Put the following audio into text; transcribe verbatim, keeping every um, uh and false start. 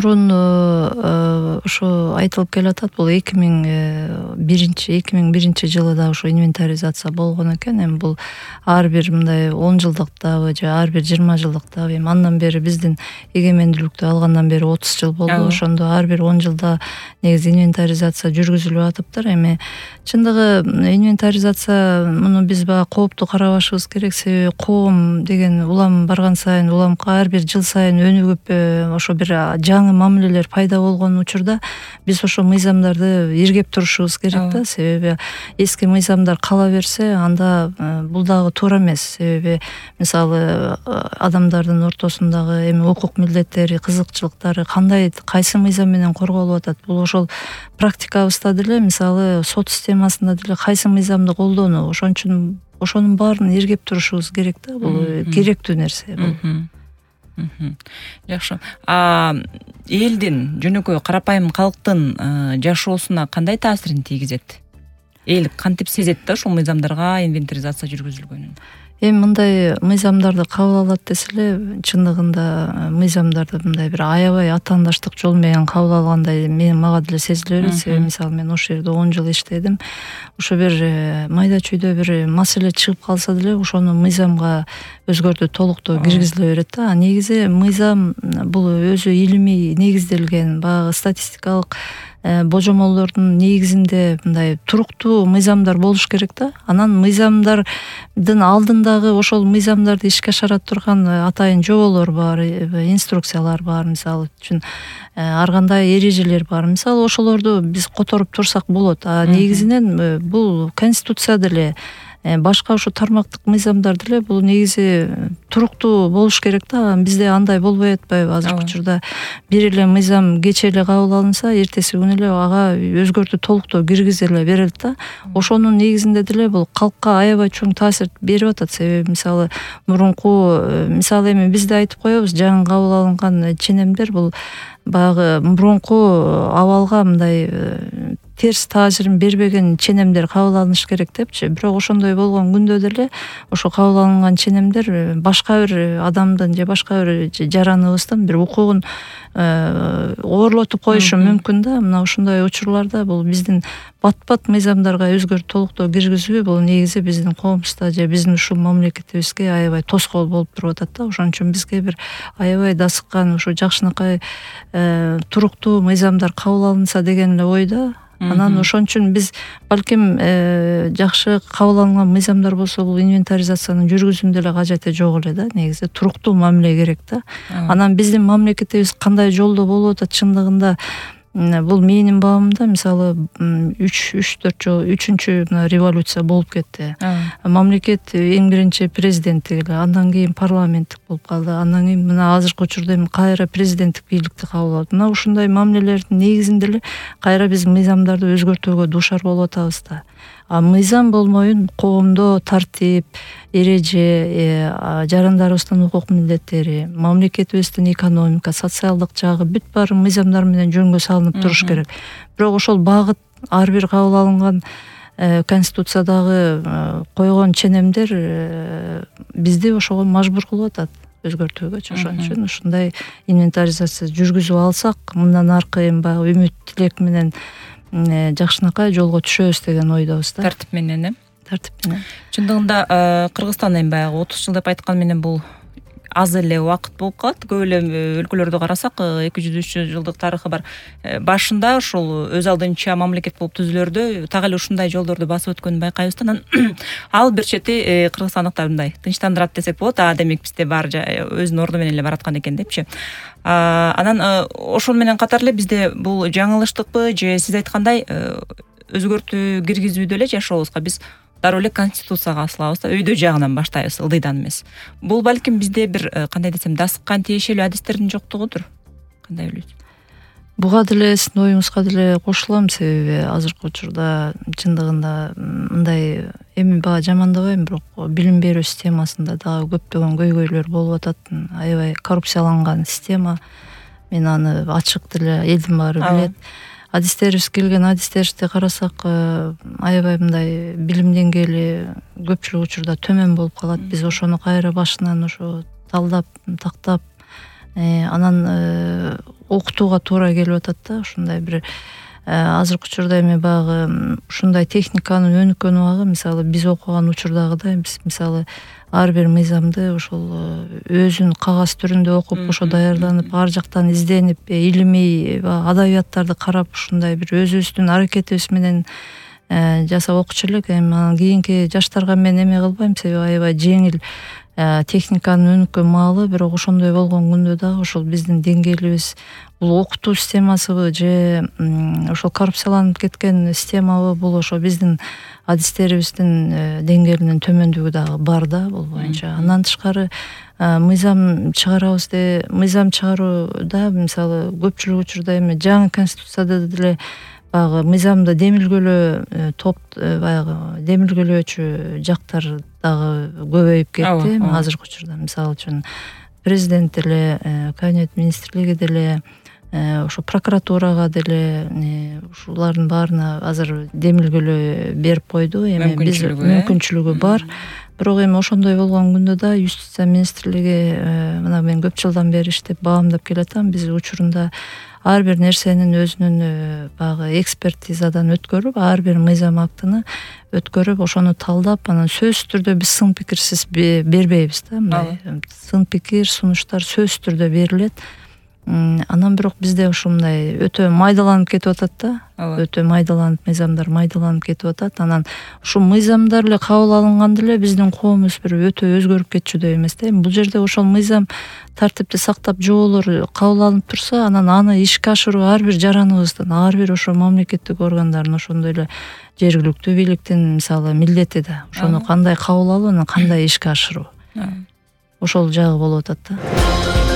мурун ошо айтылып келатат, бул эки миң биринчи эки миң биринчи жылы да ошо инвентаризация болгон экен. Эми бул ар бир мындай он жылдыктабы же ар бир жыйырма жылдыктабы, эми андан бери биздин эгемендүүлүктү алгандан бери отуз жыл болду. Ошондо ар бир он жылда негизи инвентаризация жүргүзүлүп атыптыр. Эми чындыгы инвентаризация муну биз баягы кооптуу карабашыбыз керек, себеби коом деген улам барган сайын, улам ар бир жыл сайын өнүгүп, ошо бир жаңы мамилелер пайда болгон учурда биз ошо мыйзамдарды иргеп турушубуз керек да, себеби эски мыйзамдар кала берсе, анда бул дагы туура эмес. Себеби мисалы адамдардын ортосундагы эми укук милдеттери, кызыкчылыктары кандай, кайсы мыйзам менен корголуп атат, бул ошол практикабызда деле, мисалы сот системасында деле кайсы мыйзамды колдонуу, ошон үчүн ошонун баарын иргеп турушубуз керек да, бул керектүү нерсе бул. Жакшы. А элдин, жөнөкөй карапайым калктын жашоосуна кандай таасирин тийгизет? Эл кантип сезет да ушул мыйзамдарга инвентаризация жүргүзүлгөнүн? Эми мындай мыйзамдарды кабыл алат десе эле, чындыгында мыйзамдарды мындай бир аябай атаандаштык жол менен кабыл алгандай мен мага деле сезиле берет. Себеби мисалы мен ошол жерде он жыл иштедим. Ошо бир майда чүйдө бир маселе чыгып калса деле ошону мыйзамга өзгөртүү, толуктоо киргизиле берет да. Негизи мыйзам бул өзү илимий негизделген, баягы статистикалык божомолдордун негизинде мындай туруктуу мыйзамдар болуш керек да. Анан мыйзамдардын алдындагы ошол мыйзамдарды ишке ашырат турган атайын жоболор бар, инструкциялар бар, мисалы үчүн ар кандай эрежелер бар. Мисалы ошолорду биз которуп турсак болот. А негизинен бул конституция деле, башка ошо тармактык мыйзамдар деле бул негизи туруктуу болуш керек да. Бизде андай болбой атпайбы? Азыркы учурда бир эле мыйзам кечээ эле кабыл алынса, эртеси күнү эле ага өзгөртүү, толуктоо киргизиле берилет да. Ошонун негизинде деле бул калкка аябай чоң таасир берип атат. Себеби мисалы мурунку, мисалы эми бизде айтып коебуз, жаңы кабыл алынган ченемдер бул баягы мурунку абалга мындай терс таасирин бербеген ченемдер кабыл алыныш керек депчи. Бирок ошондой болгон күндө деле ошо кабыл алынган ченемдер башка бир адамдын же башка бир жараныбыздын бир укугун оорлотуп коюшу мүмкүн да. Мына ушундай учурларда бул биздин бат-бат мыйзамдарга өзгөртүү, толуктоо киргизүү бул негизи биздин коомубузда же биздин ушул мамлекетибизге аябай тоскоол болуп туруп атат да. Ошон үчүн бизге бир аябай дасыккан, ушу жакшынакай туруктуу мыйзамдар кабыл алынса деген эле ойдо. Анан ошон үчүн биз балким жакшы кабыл алынган мыйзамдар болсо, бул инвентаризациянын жүргүзүүнүн деле кажети жок эле да. Негизи туруктуу мамиле керек да. Анан биздин мамлекетибиз кандай жолдо болуп атат чындыгында, бул менин баамымда мисалы үч төрт жыл үчүнчү революция болуп кетти. Мамлекет эң биринчи президенттик эле, андан кийин парламенттик болуп калды. Андан кийин мына азыркы учурда эми кайра президенттик бийликти кабыл алат. Мына ушундай мамилелердин негизинде эле кайра биз мыйзамдарды өзгөртүүгө дуушар болуп атабыз да. А мыйзам болмойун коомдо тартип, эреже, жарандарыбыздын укук милдеттери, мамлекетибиздин экономика, социалдык жагы бүт баары мыйзамдар менен жөнгө салынып туруш керек. Бирок ошол багыт ар бир кабыл алынган конституциядагы койгон ченемдер бизди ошого мажбур кылып атат өзгөртүүгө. Ошон үчүн ушундай инвентаризация жүргүзүп алсак, мындан аркы эми баягы үмүт, тилек менен жакшынакай жолго түшөбүз деген ойдобуз да. Тартип менен, э? Тартип менен. Чындыгында Кыргызстан эми баягы отуз жыл деп айткан менен бул аз эле убакыт болуп калат. Көп эле өлкөлөрдү карасак, эки жүз үч жүз жылдык тарыхы бар. Башында ушул өз алдынча мамлекет болуп түзүлөрдө так эле ушундай жолдорду басып өткөнүн байкайбыз да. Ал бир чети кыргызстандыктар мындай тынчтандырат десек болот. А демек бизде баары өзүнүн орду менен эле бараткан экен депчи. Анан ошол менен катар эле бизде бул жаңылыштыкпы же сиз айткандай өзгөртүү киргизүүдө эле жашообузга биз дароо эле конституцияга асылабыз да, өйдө жагынан баштайбыз, ылдыйдан эмес. Бул балким бизде бир кандай десем, дасыккан тиешелүү адистердин жоктугудур. Кандай ойлойсуз? Буга деле сиздин оюңузга деле кошулам, себеби азыркы учурда чындыгында мындай, эми бага жамандабайм, бирок билим берүү системасында дагы көптөгөн көйгөйлөр болуп атат. Аябай коррупцияланган система. Мен аны ачык деле элдин баары билет. Адистерибиз келген адистерибизди карасак, аябай мындай билим деңгээли көпчүлүк учурда төмөн болуп калат. Биз ошону кайра башынан ошо талдап, тактап, анан окутууга туура келип атат да. Ушундай бир азыркы учурда эми баягы ушундай техниканын өнүккөн убагы, мисалы биз окуган учурдагыдай биз мисалы ар бир мыйзамды ошол өзүн кагаз түрүндө окуп, ошо даярданып, ар жактан изденип, илимий адабияттарды карап, ушундай бир өзүбүздүн аракетибиз менен жасап окучу элек. Эми анан кийинки жаштарга мен эме кылбайм, себеби аябай жеңил техниканын өнүккөн маалы, бирок ошондой болгон күндө дагы ошол биздин деңгээлибиз бул окутуу системасыбы же ошол коррупцияланып кеткен системабы, бул ошо биздин адистерибиздин деңгээлинин төмөндүгү дагы бар да бул боюнча. Андан тышкары мыйзам чыгарабыз де, мыйзам чыгарууда мисалы көпчүлүк учурда эми жаңы конституцияда деле баягы мыйзамды демилгөлөө топ баягы демилгөлөөчү жактар дагы көбөйүп кетти азыркы учурда. Мисалы үчүн президент деле, кабинет министрлиги деле, ошо прокуратурага деле ушулардын баарына азыр демилгөлөө берип койду. Эми биз мүмкүнчүлүгү бар. Бирок эми ошондой болгон күндө да юстиция министрлиги, мына мен көп жылдан бери иштеп баамдап келатам, биз учурунда ар бир нерсенин өзүнүн баягы экспертизадан өткөрүп, ар бир мыйзам актыны өткөрүп, ошону талдап, анан сөзсүз түрдө биз сын пикирсиз бербейбиз да. Мындай сын пикир, сунуштар сөзсүз түрдө берилет. Анан бирок бизде ушундай өтө майдаланып кетип атат да. Өтө майдаланып, мыйзамдар майдаланып кетип атат. Анан ушул мыйзамдар эле кабыл алынганда эле биздин коомубуз бир өтө өзгөрүп кетчүдөй эмес да. Эми бул жерде ошол мыйзам тартипти сактап, жоболор кабыл алынып турса, анан аны ишке ашыруу ар бир жараныбыздын, ар бир ошо мамлекеттик органдардын, ошондой эле жергиликтүү бийликтин мисалы милдети да. Ошону кандай кабыл алуу, анан кандай ишке ашыруу. Ошол жагы болуп атат да.